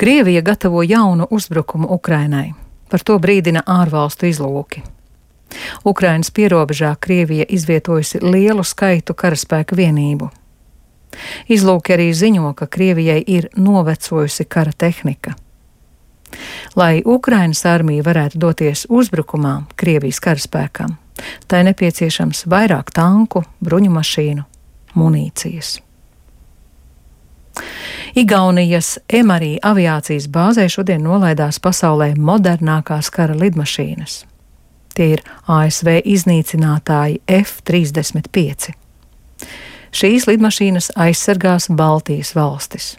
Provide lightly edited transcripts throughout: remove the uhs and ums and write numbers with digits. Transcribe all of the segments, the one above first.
Krievija gatavo jaunu uzbrukumu Ukrainai. Par to brīdina ārvalstu izlūki. Ukrainas pierobežā Krievija izvietojusi lielu skaitu karaspēka vienību. Izlūki arī ziņo, ka Krievijai ir novecojusi kara tehnika. Lai Ukrainas armija varētu doties uzbrukumā Krievijas karaspēkam, tai nepieciešams vairāk tanku, bruņumašīnu, munīcijas. Igaunijas Emarī aviācijas bāzē šodien nolaidās pasaulē modernākās kara lidmašīnas. Tie ir ASV iznīcinātāji F-35. Šīs lidmašīnas aizsargās Baltijas valstis.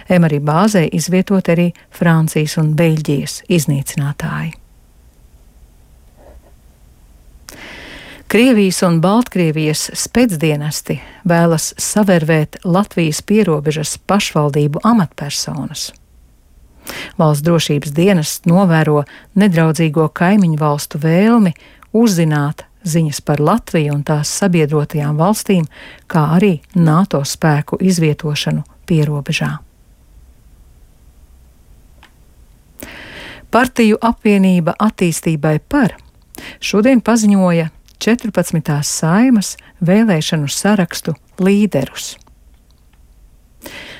Emarī bāzē izvietot arī Francijas un Beļģijas iznīcinātāji. Krievijas un Baltkrievijas spēcdienesti vēlas savervēt Latvijas pierobežas pašvaldību amatpersonas. Valsts drošības dienests novēro nedraudzīgo kaimiņu valstu vēlmi uzzināt ziņas par Latviju un tās sabiedrotajām valstīm, kā arī NATO spēku izvietošanu pierobežā. Partiju apvienība attīstībai par šodien paziņoja 14. Saimas vēlēšanu sarakstu līderus.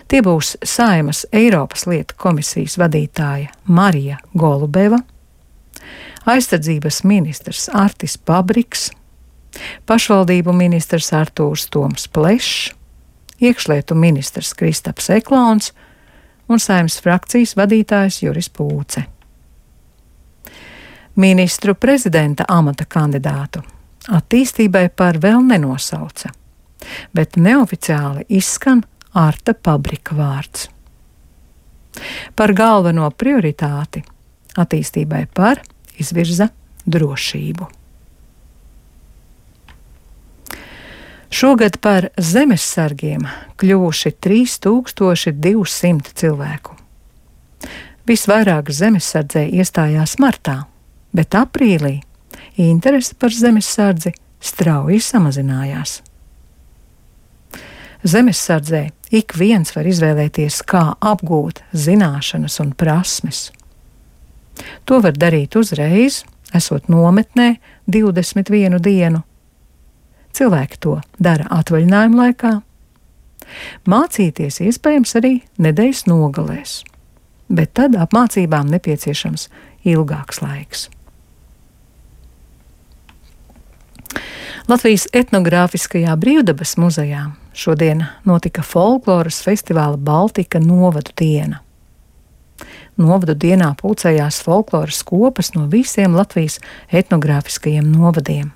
Tie būs Saimas Eiropas lietu komisijas vadītāja Marija Golubeva, aizsardzības ministrs Artis Pabriks, pašvaldību ministrs Artūrs Toms Plešs, iekšlietu ministrs Kristaps Eklons un Saeimas frakcijas vadītājs Juris Pūce. Ministru prezidenta amata kandidātu attīstībai par vēl nenosauca, bet neoficiāli izskan Arta Pabrika vārds. Par galveno prioritāti attīstībai par izvirza drošību. Šogad par zemessargiem kļuvuši 3200 cilvēku. Visvairāk zemessardzē iestājās martā, bet aprīlī interese par zemessardzi strauji samazinājās. Zemessardzē ik viens var izvēlēties, kā apgūt zināšanas un prasmes. To var darīt uzreiz, esot nometnē 21 dienu. Cilvēki to dara atvaļinājuma laikā. Mācīties iespējams arī nedēļas nogalēs, bet tad apmācībām nepieciešams ilgāks laiks. Latvijas etnogrāfiskajā brīvdabas muzejā šodien notika folkloras festivāla Baltika novadu diena. Novadu dienā pulcējās folkloras kopas no visiem Latvijas etnogrāfiskajiem novadiem.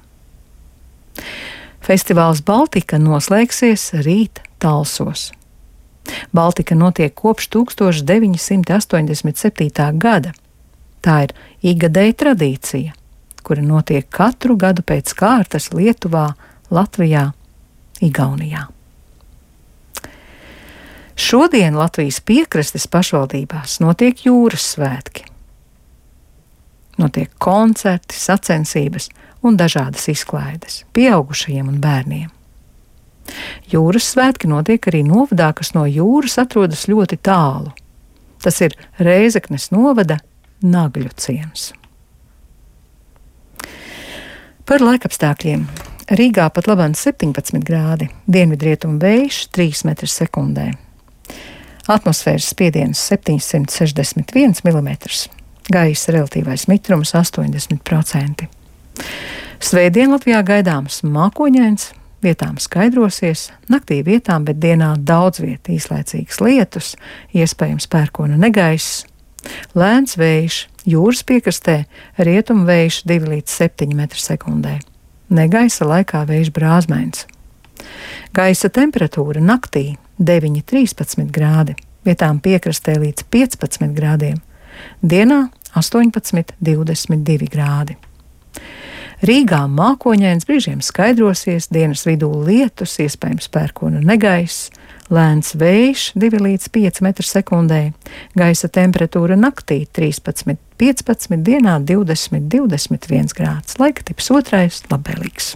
Festivāls Baltika noslēgsies rīt Talsos. Baltika notiek kopš 1987. gada. Tā ir ikgadēja tradīcija, kura notiek katru gadu pēc kārtas Lietuvā, Latvijā, Igaunijā. Šodien Latvijas piekrastes pašvaldībās notiek jūras svētki. Notiek koncerti, sacensības un dažādas izklaides pieaugušajiem un bērniem. Jūras svētki notiek arī novadā, kas no jūras atrodas ļoti tālu. Tas ir Rēzeknes novada Nagļu ciems. Par laikapstākļiem. Rīgā pat labāk 17 grādi, dienvidrietumu vējš 3 m/sekundē. Atmosfēras spiediens 761 mm, gaisa relatīvais mitrums 80%. Svētdien Latvijā gaidāms mākoņains, vietām skaidrosies, naktī vietām, bet dienā daudz viet īslaicīgas lietus, iespējams pērkona negaiss, lēns vējš, jūras piekrastē rietumu vējš 2 līdz 7 m/sekundē. Negaisa laikā vējš brāzmains. Gaisa temperatūra naktī 9–13 grādi, vietām piekrastē līdz 15 grādiem, dienā 18–22 grādi. Rīgā mākoņains, brīžiem skaidrosies, dienas vidū lietus, iespējams pērkona negaiss, lēns vējš 2 līdz 5 m/sekundē, gaisa temperatūra naktī 13–15, dienā 20–21 grāds. Laika tips 2 labvēlīgs.